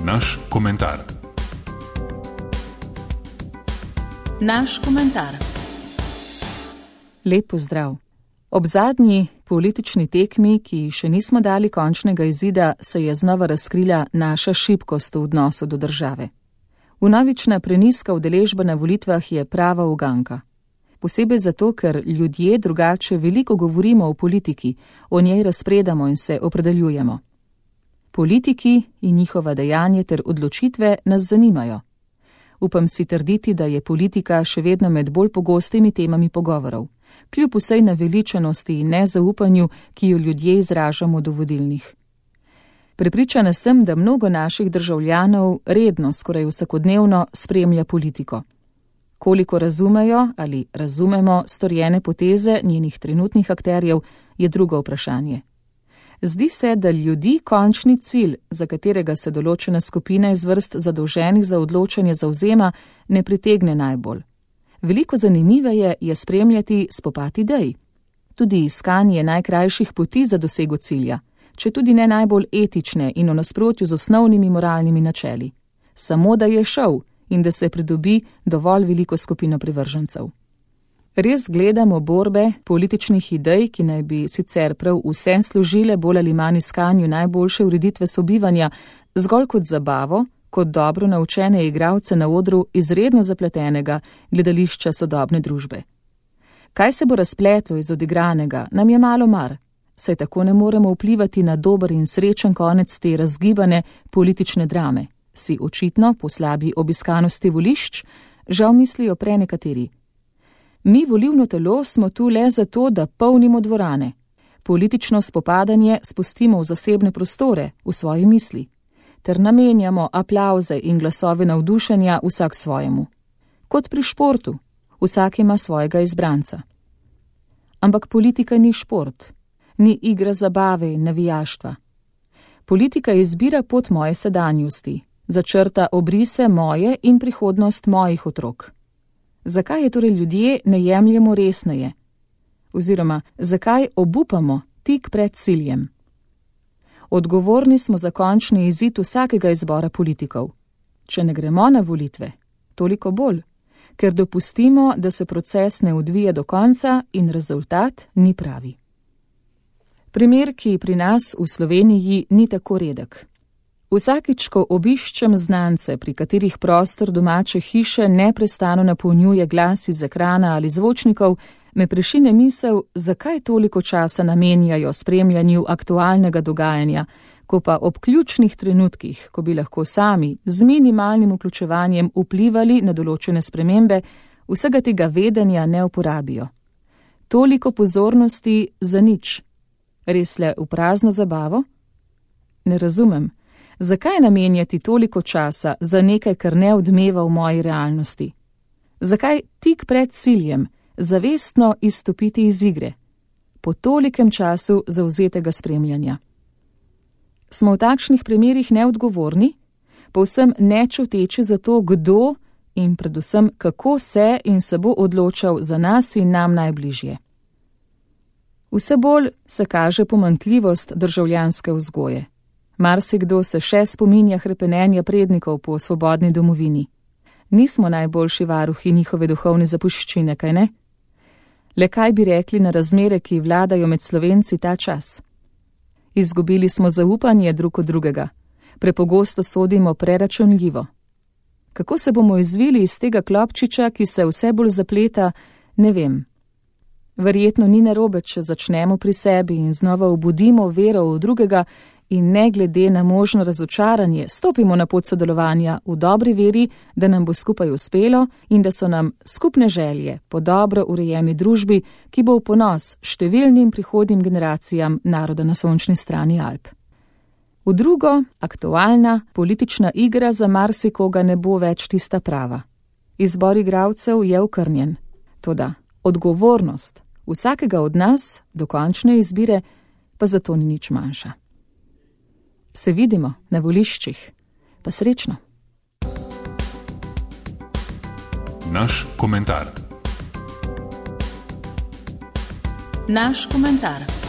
Naš komentar. Naš komentar. Lep pozdrav. Ob zadnji politični tekmi, ki še nismo dali končnega izida, se je znova razkrila naša šibkost v odnosu do države. Vnovična prenizka udeležba na volitvah je prava uganka. Posebej zato, ker ljudje drugače veliko govorimo o politiki, o njej razpredamo in se opredeljujemo. Politiki in njihova dejanja ter odločitve nas zanimajo. Upam si trditi, da je politika še vedno med bolj pogostimi temami pogovorov, kljub vsej naveličanosti in nezaupanju, ki jo ljudje izražamo do vodilnih. Prepričana sem, da mnogo naših državljanov redno, skoraj vsakodnevno spremlja politiko. Koliko razumejo ali razumemo storjene poteze njenih trenutnih akterjev, je drugo vprašanje. Zdi se, da ljudi končni cilj, za katerega se določena skupina iz vrst zadolženih za odločanje zavzema, ne pritegne najbolj. Veliko zanimiveje je spremljati spopad idej. Tudi iskanje najkrajših poti za dosego cilja, če tudi ne najbolj etične in v nasprotju z osnovnimi moralnimi načeli. Samo da je šel in da se pridobi dovolj veliko skupino privržencev. Res gledamo borbe političnih idej, ki naj bi sicer prav vse služile bolj ali manj iskanju najboljše ureditve sobivanja, zgolj kot zabavo, kot dobro naučene igralce na odru izredno zapletenega gledališča sodobne družbe. Kaj se bo razpletlo iz odigranega, nam je malo mar, saj tako ne moremo vplivati na dober in srečen konec te razgibane politične drame. Si očitno, po slabi obiskanosti volišč, žal mislijo prenekateri. Mi, volilno telo, smo tu le zato, da polnimo dvorane. Politično spopadanje spustimo v zasebne prostore, v svoji misli, ter namenjamo aplavze in glasove navdušenja vsak svojemu. Kot pri športu, vsak ima svojega izbranca. Ampak politika ni šport, ni igra zabave in navijaštva. Politika izbira pot moje sedanjosti, začrta obrise moje in prihodnost mojih otrok. Zakaj je torej ljudje ne jemljemo resneje? Oziroma, zakaj obupamo tik pred ciljem? Odgovorni smo za končni izid vsakega izbora politikov. Če ne gremo na volitve, toliko bolj, ker dopustimo, da se proces ne odvije do konca in rezultat ni pravi. Primer, ki pri nas v Sloveniji ni tako redek. Vsakič, ko obiščem znance, pri katerih prostor domače hiše neprestano napolnjuje glas iz ekrana ali zvočnikov, me prešine misel, zakaj toliko časa namenjajo spremljanju aktualnega dogajanja, ko pa ob ključnih trenutkih, ko bi lahko sami z minimalnim vključevanjem vplivali na določene spremembe, vsega tega vedenja ne uporabijo. Toliko pozornosti za nič. Res le v prazno zabavo? Ne razumem. Zakaj namenjati toliko časa za nekaj, kar ne odmeva v moji realnosti? Zakaj tik pred ciljem zavestno izstopiti iz igre? Po tolikem času zavzetega spremljanja. Smo v takšnih primerih neodgovorni, povsem nečuteči za to, kdo in predvsem kako se in se bo odločal za nas in nam najbližje. Vse bolj se kaže pomanjkljivost državljanske vzgoje. Marsikdo se še spominja hrepenenja prednikov po svobodni domovini. Nismo najboljši varuhi njihove duhovne zapuščine, kaj ne? Le kaj bi rekli na razmere, ki vladajo med Slovenci ta čas? Izgubili smo zaupanje drug od drugega. Prepogosto sodimo preračunljivo. Kako se bomo izvili iz tega klopčiča, ki se vse bolj zapleta, ne vem. Verjetno ni narobe, če začnemo pri sebi in znova obudimo vero v drugega, in ne glede na možno razočaranje stopimo na pot sodelovanja v dobri veri, da nam bo skupaj uspelo in da so nam skupne želje po dobro urejeni družbi, ki bo v ponos številnim prihodnjim generacijam naroda na sončni strani Alp. V drugo, aktualna politična igra za marsikoga ne bo več tista prava. Izbor igralcev je okrnjen. Toda odgovornost vsakega od nas do končne izbire pa zato ni nič manjša. Se vidimo na voliščih. Pa srečno. Naš komentar. Naš komentar.